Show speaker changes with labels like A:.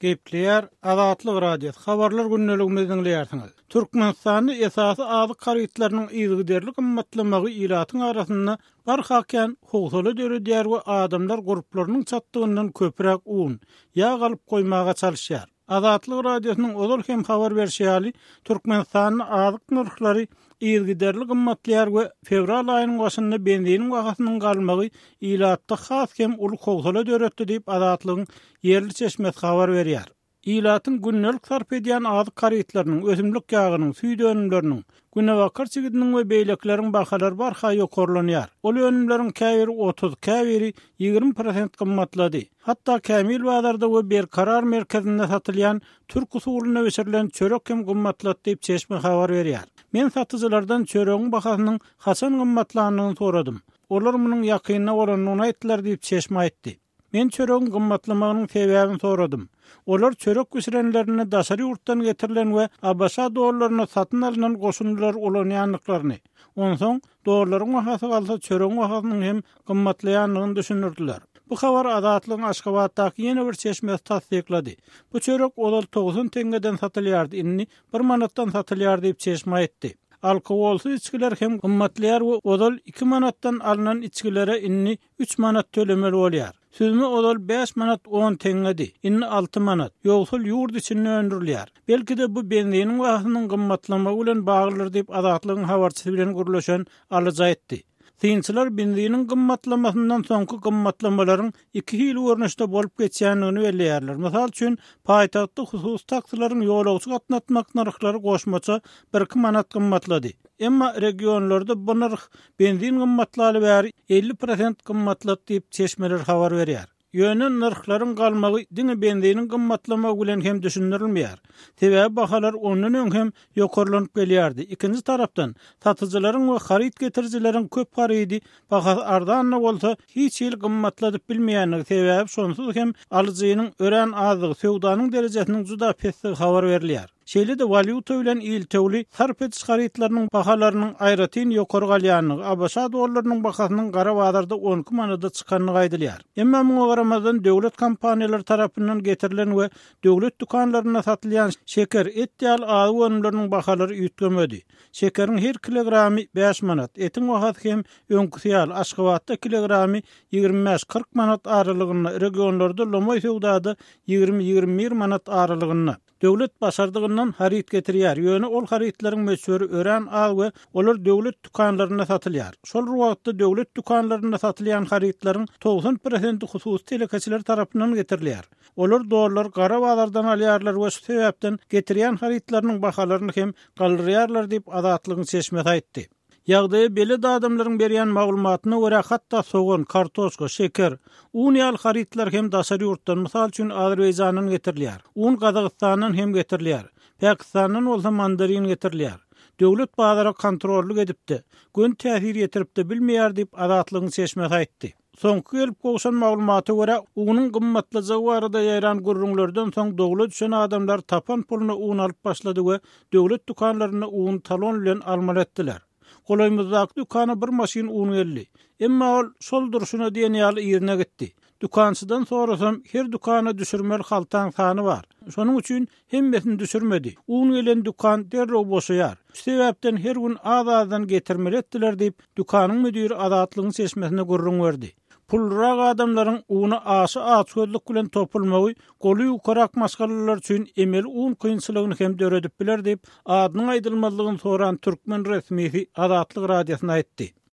A: Gepleýär Azatlyk Radiosy, Habarlar gündeligimizi diňleýärsiňiz. Türkmenistanda esasy azyk harytlarynyň yzygiderli gymmatlamagy ilatyň arasynda barha kän howsala döredýär we adamlar gurplarynyň çatdygyndan köpräk un, ýag alyp goýmaga çalyşýar. Azatlyk Radiosynyň ozal hem habar berşi ýaly, Türkmenistanda azyk nyrhlary yzygiderli gymmatlaýar we fewral aýynyň başynda benziniň bahasynyň galmagy ilatda has hem uly howsala döretdi diýip, Azatlygyň ýerli çeşmesi habar berýär. Ilatyň gündelik sarp edýän azyk harytlarynyň, ösümlik ýagynyň, süýt önümleriniň, günebakar çigidiniň we beýlekileriň bahalary barha ýokarlanýar. Ol önümleriň käbiri 30, käbiri 20 prosent gymmatlady. Hatda Kämil bazarda we Berkarar merkezinde satylýan türk usulynda bişirilen çörek hem gymmatlady diýip, çeşme habar berýär. Men satyjylardan çöregiň bahasynyň haçan gymmatlandygyny soradym. Olar munuň ýakynda bolandygyny aýtdylar diýip, çeşme aýtdy. Men çöregiň gymmatlamagynyň sebäbini soradym. Olar çörek bişirenlerinde daşary ýurtdan getirilen we ABŞ dollaryna satyn alnan goşundylary ulanýandyklaryny, onsoň dollaryň bahasy galsa çöregiň bahasynyň hem gymmatlaýandygyny düşündirdiler. Bu habary Azatlygyň Aşgabatdaky ýene bir çeşmesi tassyklady. Bu çörek ozal 90 teňňeden satylýardy, indi bir manatdan satylýar diýip, çeşme aýtdy. Alkogolsyz içgiler hem gymmatlaýar we ozal iki manatdan alnan içgilere indi Üç manat tölemeli bolýar. Süzme ozal bäş manat on teňňedi, indi alty manat. Ýogsal ýurt içinde öndürilýär. Belki-de bu benziniň bahasynyň gymmatlamagy bilen baglydyr diýip, Azatlygyň habarçysy bilen gürleşen alyjy aýtdy. Synçylar benziniň gymmatlamasyndan soňky gymmatlamalaryň iki hili görnüşde bolup geçýändigini belleýärler. Mysal üçin, paýtagtda hususy taksileriň ýolagçy gatnatmak nyrhlary goşmaça birki manat gymmatlady. Emma regionlarda bu nyrh benzin gymmatlaly bäri 50 prosent gymmatlady diýip, çeşmeler habar berýär. Ýöne nyrhlaryň galmagy diňe benziniň gymmatlamagy bilen hem düşündirilmeýär. Sebäbi bahalar ondan öň hem ýokarlanyp gelýärdi. Ikinji tarapdan, satyjylaryň we haryt getirijileriň köp harydy bahasy arzan-da bolsa, hiç hili gymmatladyp bilmeýändigi, sebäbi şonsuz hem alyjynyň örän azdygy, söwdanyň derejesiniň juda pesdigi habar berilýär. Şeýle-de walýuta bilen iltewli sarp ediş harytlarynyň bahalarynyň aýratyn ýokary galýandygy, ABŞ dollarynyň bahasynyň gara bazarda 12 manada çykandygy aýdylýar. Emma muňa garamazdan, döwlet kompaniýalary tarapyndan getirilen we döwlet dükanlarynda satylýan şeker, et ýaly azyk önümleriniň bahalary üýtgemedi. Şekeriň her kilogramy bäş manat, etiň bahasy hem öňküsi ýaly, Aşgabatda kilogramy 25-40 manat aralygynda, regionlarda lomaý söwdada 20-21 manat aralygynda. Döwlet başardygyndan haryt getirýär, ýöne ol harytlaryň möçberi örän az we olar döwlet dükanlarynda satylýar. Şol bir wagtda döwlet dükanlarynda satylýan harytlaryň 90 prosenti hususy telekeçiler tarapyndan getirilýär. Olar dollary gara bazardan alýarlar we şu sebäpden getirýän harytlarynyň bahalaryny hem galdyrýarlar diýip, Azatlygyň çeşmesi aýtdy. Ýagdaýa belet adamlaryň berýän maglumatyna görä, hatda sogan, kartoşka, şeker, un ýaly harytlar hem daşary ýurtdan, mysal üçin, Azerbaýjandan getirilýär. Un Gazagystandan hem getirilýär. Pakistandan bolsa mandarin getirilýär. Döwlet bazara kontrollyk edip-de, göni täsir ýetirip-de bilmeýär diýip, Azatlygyň çeşmesi aýtdy. Soňky gelip gowşan maglumata görä, unuň gymmatlajagy barada ýaýran gürrüňlerden soň dowla düşen adamlar tapan puluna un alyp başlady we döwlet dükanlarynda uny talon bilen almaly etdiler. Golaýymyzdaky dükana bir maşyn un geldi. Emma ol şol durşuna diýen ýaly yzyna gitdi. Dükançydan sorasam, her dükana düşürmeli haltaň sany bar. Şonuň üçin hemmesini düşürmedi. Un gelen dükan derrew boşaýar. Şu sebäpden her gün az-azdan getirmeli etdiler diýip, dükanyň müdiri Azatlygyň çeşmesine gürrüň berdi. Pullurak adamlaryň una aşa açgözlük bilen topulmagy goly ýukarak maşgalalar üçin emeli un kynçylygyny hem döredip biler diýip, adynyň aýdylmazlygyny soran türkmen resmisi Azatlyk Radiosyna aýtdy.